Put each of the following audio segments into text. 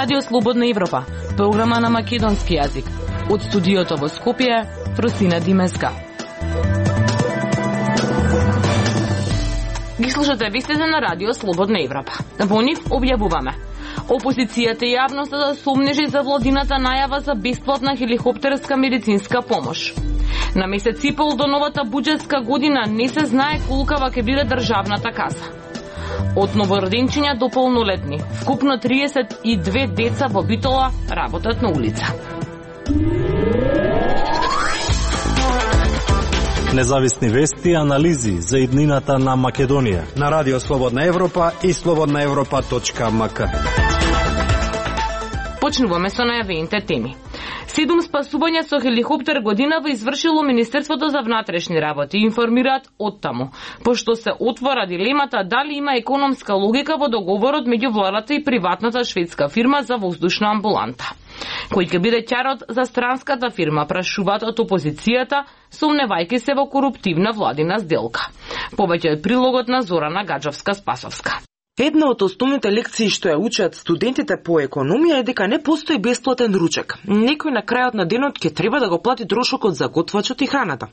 Радио Слободна Европа, програма на македонски јазик. Од студиото во Скопје, Фросина Димеска. Ги слушате вестите на Радио Слободна Европа. Во нив објавуваме: опозицијата и јавноста сомнежи за владината најава за бесплатна хеликоптерска медицинска помош. На месец и пол до новата буџетска година не се знае колкава ќе биде државната каса. Од новороденчиња до полнолетни, вкупно 32 деца во Битола работат на улица. Независни вести и анализи за иднината на Македонија на Радио Слободна Европа и slobodnaevropa.mk. Почнуваме со најавените теми. 7 спасувања со хеликоптер годинава извршило Министерството за внатрешни работи, информираат оттаму, пошто се отвора дилемата дали има економска логика во договорот меѓу владата и приватната шведска фирма за воздушна амбуланта. Кој ќе биде ќарот за странската фирма, прашуваат од опозицијата, сомневајќи се во коруптивна владина сделка. Повеќе од прилогот на Зорана Гаджовска-Спасовска. Една од основните лекции што ја учат студентите по економија е дека не постои бесплатен ручек. Некој на крајот на денот ќе треба да го плати трошокот за готвачот и храната.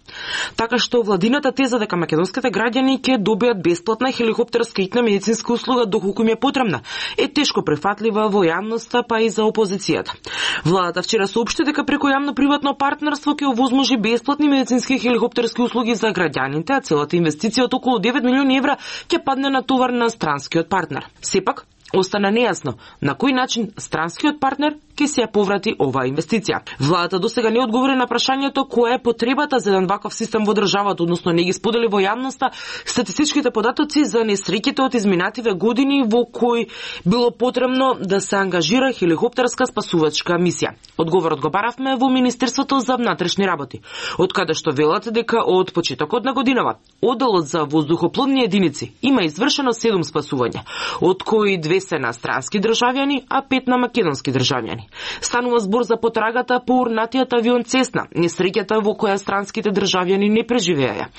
Така што владината теза дека македонските граѓани ќе добијат бесплатна хеликоптерска итна медицинска услуга доколку им е потребна, е тешко прифатлива во јавноста, па и за опозицијата. Владата вчера соопшти дека преку јавно-приватно партнерство ќе овозможи бесплатни медицински хеликоптерски услуги за граѓаните, а целата инвестиција од околу 9 милиони евра ќе падне на товар на странскиот партнер. Сепак, остана нејасно на кој начин странскиот партнер ќе се ја поврати оваа инвестиција. Владата досега не одговори на прашањето која е потребата за еден ваков систем во државата, односно не ги сподели во јавноста статистичките податоци за несреќите од изминативе години во кои било потребно да се ангажира хеликоптерска спасувачка мисија. Одговорот го баравме во Министерството за внатрешни работи, од каде што велат дека од почетокот на годинава одделот за воздухопловни единици има извршено 7 спасувања, од кои 2 се на странски државјани, а 5 на македонски државјани. Станува збор за потрагата по урнатиот авион Цесна, несреќата во која странските државјани не преживеа.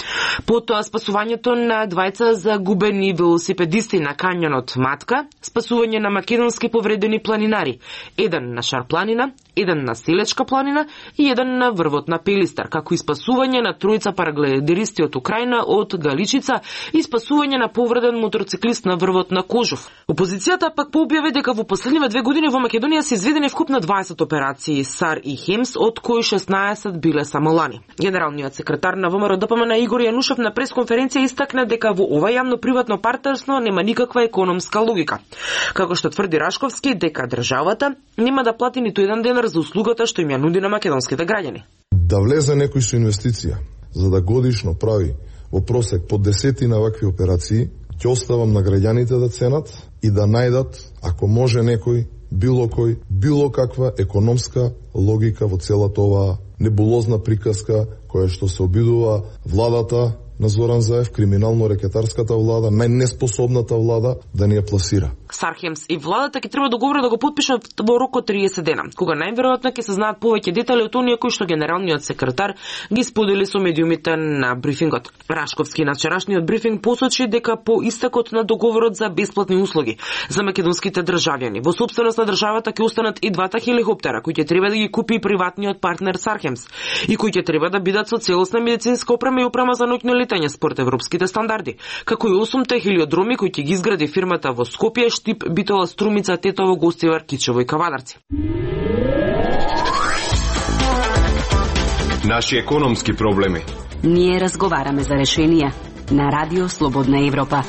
Потоа спасувањето на двајца загубени велосипедисти на кањонот Матка, спасување на македонски повредени планинари, еден на Шарпланина, еден на Селечка планина и еден на врвот на Пелистар, како и спасување на тројца параглидеристи од Украина од Галичица и спасување на повреден мотоциклист на врвот на Кожов. Опозицијата пак пообјави дека во последниве 2 години во Македонија се изведени вкупно 20 операции САР и ХЕМС, од кои 16 биле само лани. Генералниот секретар на ВМРО ДПМН Игор Јанушев на пресконференција истакна дека во ова јавно-приватно партнерство нема никаква економска логика. Како што тврди Рашковски, дека државата нема да плати ниту еден денар за услугата што им ја нуди на македонските граѓани. Да влезе некој со инвестиција, за да годишно прави во просек по 10 на вакви операции, ќе оставам на граѓаните да ценат и да најдат, ако може некој, било каква економска логика во целата оваа небулозна приказка која што се обидува владата на Зоран Заев, криминално-рекетарската влада, најнеспособната влада да ни ја пласира. Сархемс и владата ќе треба договора да го подпишат во рок од 30 дена, кога најверојатно ќе се знаат повеќе детали од оние кои што генералниот секретар ги сподели со медиумите на брифингот. Рашковски на вчерашниот брифинг посочи дека по истекот на договорот за бесплатни услуги за македонските државјани во сопственост на државата ќе останат и двата хеликоптера кои ќе треба да ги купи приватниот партнер Сархемс и кои ќе треба да бидат со целосна медицинска опрема и опрема за ноќно летање според европските стандарди, како и 8 хелиодроми кои ќе ги изгради фирмата во Скопје, Штип, Битола, Струмица, Тетово, Гостивар, Кичево и Кавадарци. Наши економски проблеми. Ние разговараме за решенија на Радио Слободна Европа.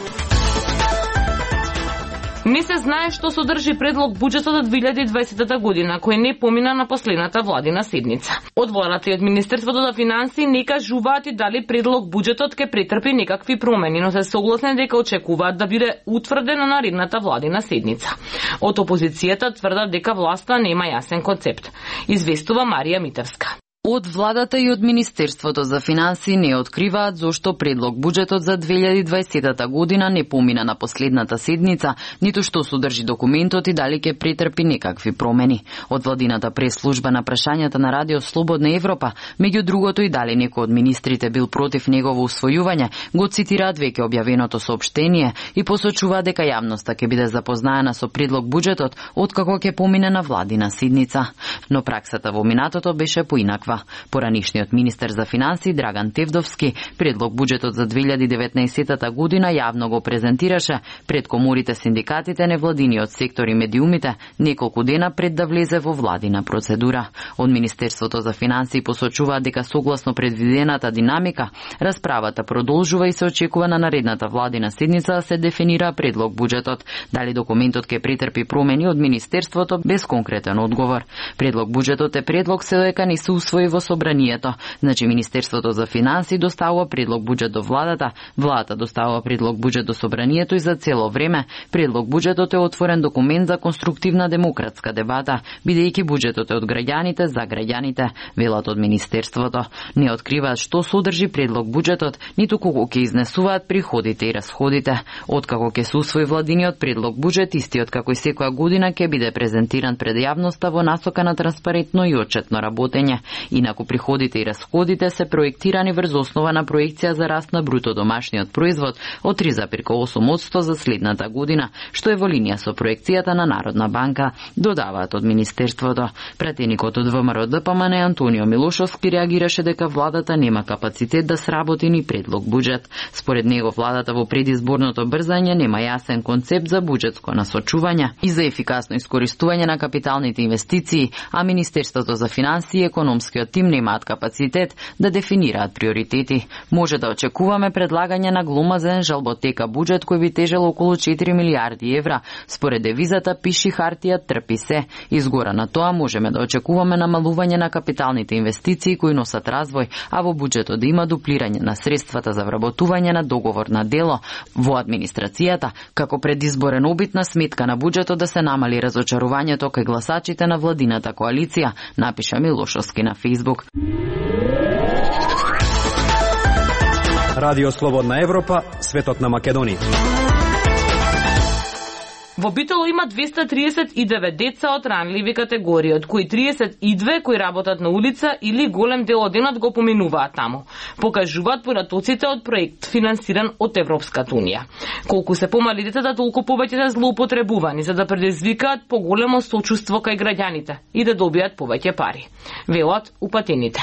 Не се знае што содржи предлог буџетот од 2020 година, кој не помина на последната владина седница. Од владата и од Министерството за финансии не кажуваат и дали предлог буџетот ќе претрпи некакви промени, но се согласни дека очекуваат да биде утврден на наредната владина седница. Од опозицијата тврдат дека власта нема јасен концепт. Известува Марија Митевска. Од владата и од Министерството за финансии не откриваат зошто предлог буџетот за 2020 година не помина на последната седница, ниту што содржи документот и дали ќе претрпи некакви промени. Од владината прес-служба на прашањата на Радио Слободна Европа, меѓу другото и дали некој од министрите бил против негово усвојување, го цитираат веќе објавеното соопштение и посочуваат дека јавноста ќе биде запознаена со предлог буџетот откако ќе помине на владина седница. Но праксата во минатото беше поинаква. Поранишниот министер за финансии Драган Тевдовски предлог буџетот за 2019 година јавно го презентираше пред коморите, синдикатите, невладиниот сектор и медиумите неколку дена пред да влезе во владина процедура. Од Министерството за финансии посочуваат дека согласно предвидената динамика, расправата продолжува и се очекува на наредната владина седница да се дефинира предлог буџетот. Дали документот ќе претрпи промени од Министерството без конкретен одговор. Предлог буџетот е предлог се дека не се усвои во собранието. Значи Министерството за финансии доставува предлог буџет до владата, владата доставува предлог буџет до собранието и за цело време предлог буџетот е отворен документ за конструктивна демократска дебата, бидејќи буџетот е од граѓаните за граѓаните, велат од Министерството. Не откриваат што содржи предлог буџетот, ниту колку ќе изнесуваат приходите и расходите. Откако ќе се усвои владиниот предлог буџет, истиот како и секоја година ќе биде презентиран пред јавноста во насока на транспарентно и отчетно работење. Инаку приходите и расходите се проектирани врз основа на проекција за раст на бруто домашниот производ од 3,8% за следната година, што е во линија со проекцијата на Народна банка, додаваат од Министерството. Пратеникот од ВМРО ДПМН Антонио Милошовски реагираше дека владата нема капацитет да сработи ни предлог буџет. Според него владата во предизборното брзање нема јасен концепт за буџетско насочување и за ефикасно искористување на капиталните инвестиции, а Министерството за финансии и економскиот тим немаат капацитет да дефинираат приоритети. Може да очекуваме предлагање на гломазен жалботека буџет кој би тежел околу 4 милиарди евра. Според девизата пиши хартија трпи се. Изгора на тоа можеме да очекуваме намалување на капиталните инвестиции кои носат развој, а во буџетот да има дуплирање на средствата за вработување на договор на дело во администрацијата, како предизборен обид на сметка на буџетот да се намали разочарувањето кај гласачите на владината коалиција, напиша Милошовски на Facebook. Радио Слободна Европа, светот на Македонија. Во Битоло има 239 деца од ранливи категории, од кои 32 кои работат на улица или голем дел од денот го поминуваат таму. Покажуваат поратоците од проект финансиран од Европската унија. Колку се помали децата, толку повеќе се злоупотребувани за да предизвикаат поголемо сочувство кај граѓаните и да добијат повеќе пари. Велат упатените.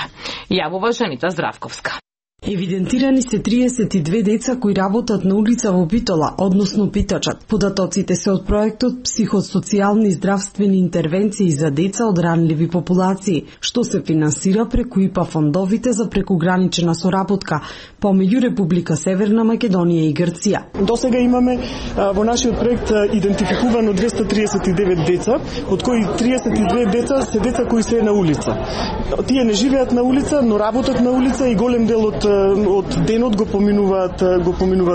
Јавува Жанита Здравковска. Евидентирани се 32 деца кои работат на улица во Битола, односно питачат. Податоците се од проектот Психосоцијални здравствени интервенции за деца од ранливи популации, што се финансира преку ИПА фондовите за прекугранична соработка помеѓу Република Северна Македонија и Грција. Досега имаме во нашиот проект идентификувано 239 деца, од кои 32 деца се деца кои се на улица. Тие не живеат на улица, но работат на улица и голем дел од денот го поминуваат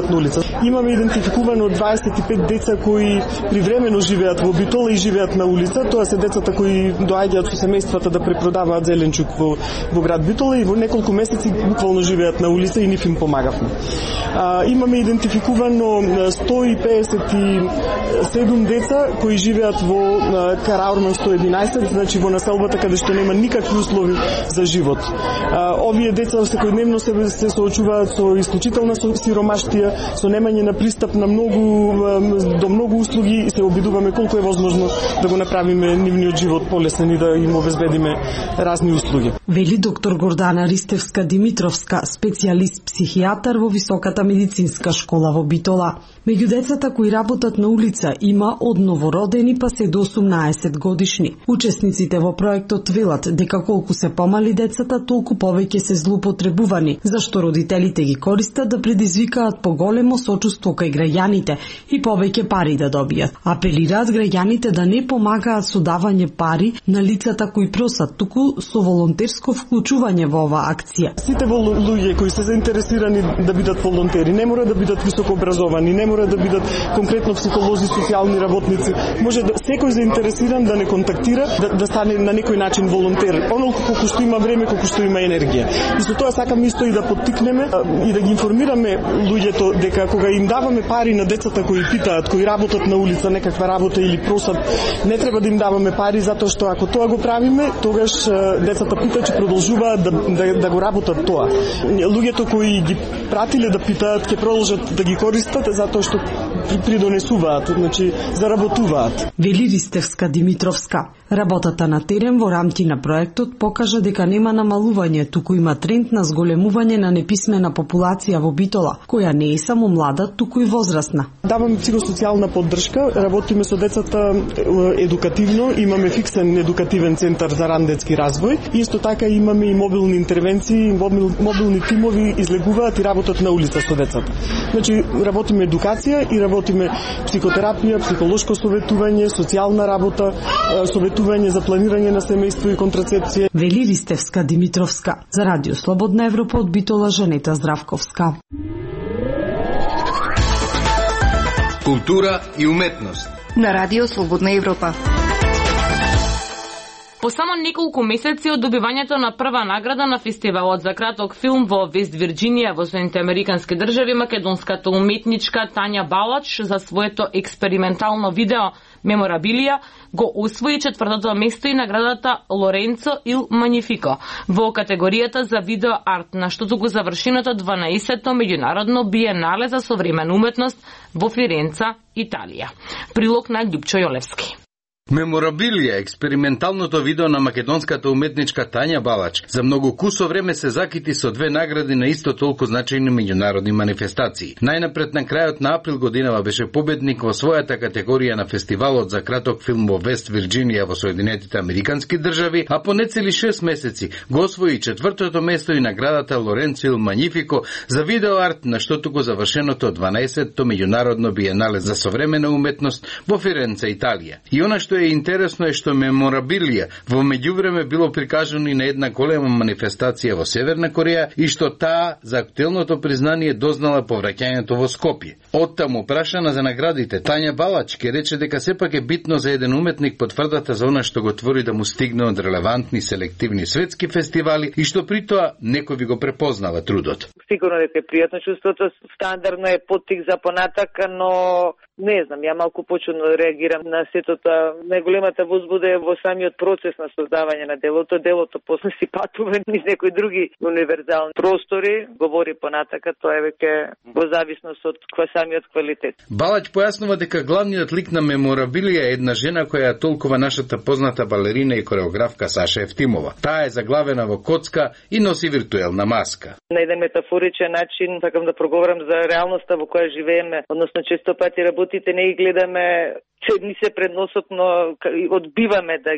на улица. Имаме идентификувано 25 деца кои привремено живеат во Битола и живеат на улица. Тоа се децата кои доаѓаат со семејствата да препродаваат зеленчук во град Битола и во неколку месеци буквално живеат на улица и нив им помагавме. Имаме идентификувано 157 деца кои живеат во Караурман 111, значи во населбата каде што нема никакви услови за живот. Овие деца секојдневно се соочуваат со исклучителна сиромаштија, со немање на пристап на до многу услуги и се обидуваме колку е возможно да го направиме нивниот живот полесен и да им обезбедиме разни услуги. Вели доктор Гордана Ристевска Димитровска, специјалист психијатар во Високата медицинска школа во Битола. Меѓу децата кои работат на улица има од новородени па се до 18 годишни. Учесниците во проектот велат дека колку се помали децата, толку повеќе се злоупотребувани, зашто родителите ги користат да предизвикаат поголемо сочувство кај граѓаните и повеќе пари да добијат. Апелираат граѓаните да не помагаат со давање пари на лицата кои просат, туку со волонтерско вклучување во оваа акција. Сите луѓе кои се заинтересирани да бидат волонтери, не мора да бидат високо образовани, не мора да бидат конкретно психолози, социјални работници. Може да секој заинтересиран да не контактира, да стане на некој начин волонтер. Онолку колку што има време, колку што има енергија. И со тоа сакам исто и да поттикнеме и да ги информираме луѓето дека кога им даваме пари на децата кои питаат, кои работат на улица некаква работа или просат, не треба да им даваме пари затоа што ако тоа го правиме, тогаш децата питачи продолжуваат да го работат тоа. Луѓето кои ги пратиле да питаат ќе продолжат да ги користат затоа што придонесуваат, значи заработуваат. Вели Ристевска Димитровска. Работата на терен во рамки на проектот покажа дека нема намалување, туку има тренд на зголемување на неписмена популација во Битола, која не е само млада, туку и возрастна. Даваме психосоцијална поддршка, работиме со децата едукативно, имаме фиксен едукативен центар за ран детски развој. Исто така имаме и мобилни интервенции, мобилни тимови излегуваат и работат на улица со децата. Значи работиме едукација и работиме психотерапија, психолошко советување, социјална работа, советување за планирање на семејство и контрацепција. Вели Ристевска Димитровска. За Радио Слободна Европа од Битола Жанета Здравковска. Култура и уметност на Радио Слободна Европа. По само неколку месеци од добивањето на прва награда на фестивалот за краток филм во Вест Вирџинија во Соединените Американски држави, македонската уметничка Тања Балач за своето експериментално видео Меморабилија го освои 4-то место и наградата Лоренцо ил Манифико во категоријата за видео арт, на штото го завршеното 12-то меѓународно биенале за современа уметност во Фиренца, Италија. Прилог на Љупчо Јолевски. Меморабилија, експерименталното видео на македонската уметничка Тања Балач, за многу кусо време се закити со 2 награди на исто толку значајни меѓународни манифестации. Најнапред на крајот на април годинава беше победник во својата категорија на фестивалот за краток филм во Вест Вирџинија во Соединетите Американски држави, а по нецели 6 месеци го освои 4-то место и наградата Лоренцо ил Манифико за видео арт, на штото го завршеното 12-то меѓународно биенале за современа уметност во Фиренца, Италија. И она што е интересно е што Меморабилија во меѓувреме било прикажано и на една голема манифестација во Северна Кореја и што таа за актуелното признание дознала по враќањето во Скопје. Оттаму прашана за наградите, Тања Балач ке рече дека сепак е битно за еден уметник потврдата за она што го твори да му стигне од релевантни селективни светски фестивали и што при тоа некој ви го препознава трудот. Сигурно дека е пријатно чувството, стандардно е поттик за понатака, но не знам, ја малку почудно реагирам на сето тоа. Најголемата возбуда е во самиот процес на создавање на делото. Делото после си патува низ некои други универзални простори, говори понатака, тоа е веќе во зависност од самиот квалитет. Балач појаснува дека главниот лик на Меморабилија е една жена која толкува нашата позната балерина и кореографка Саша Ефтимова. Таа е заглавена во коцка и носи виртуелна маска. На еден метафоричен начин сакам да проговорам за реалноста во која живееме, односно често пати работите не ги гледаме ни се пред носот, но одбиваме да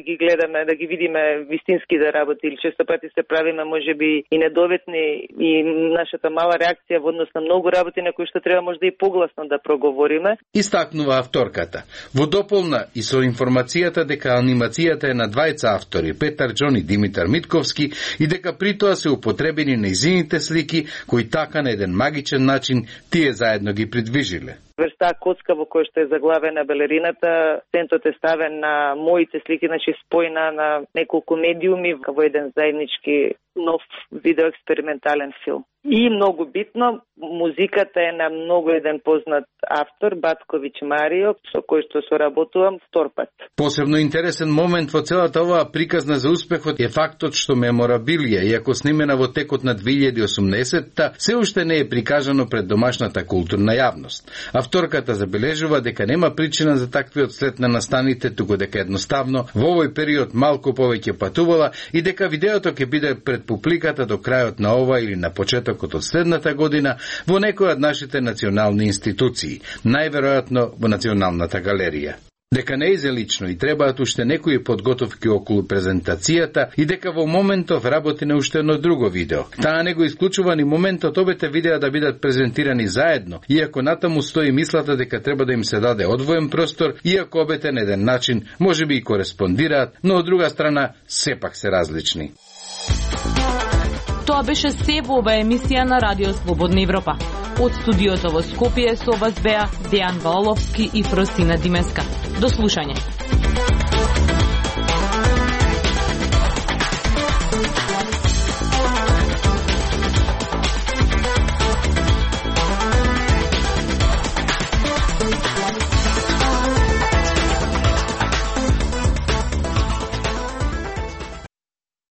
ги гледаме, да ги видиме вистински да работи. Или често пати се правиме можеби и недоветни и нашата мала реакција во однос на многу работи на кои што треба можда и погласно да проговориме. Истакнува авторката. Во дополна и со информацијата дека анимацијата е на двајца автори, Петар Џон и Димитар Митковски, и дека при тоа се употребени нејзините слики кои така на еден магичен начин тие заедно ги придвижиле. Врста коцка во која што е заглавена балерината, центот е ставен на моите слики, значи спојна на неколку медиуми во еден заеднички нов видеоекспериментален филм. И многу битно, музиката е на многу еден познат автор, Батковиќ Марио, со кој што соработувам втор пат. Посебно интересен момент во целата оваа приказна за успехот е фактот што Меморабилија, иако снимена во текот на 2018-та, се уште не е прикажано пред домашната културна јавност. Авторката забележува дека нема причина за таквиот след на настаните, туку дека едноставно во овој период малку повеќе патувала и дека видеото ќе биде пред публиката до крајот на ова или на почетокот од следната година во некој од нашите национални институции, најверојатно во Националната галерија. дека не изе лично и требаат уште некои подготовки околу презентацијата и дека во моментов работи на уште едно друго видео. Таа не го исклучува ни моментот обете видеа да бидат презентирани заедно, иако натаму стои мислата дека треба да им се даде одвоен простор, иако обете на еден начин можеби и кореспондираат, но од друга страна сепак се различни. Тоа беше се во ова емисија на Радио Слободна Европа. Од студиото во Скопје со вас беа Дејан Ваоловски и Фросина Димеска. До слушање.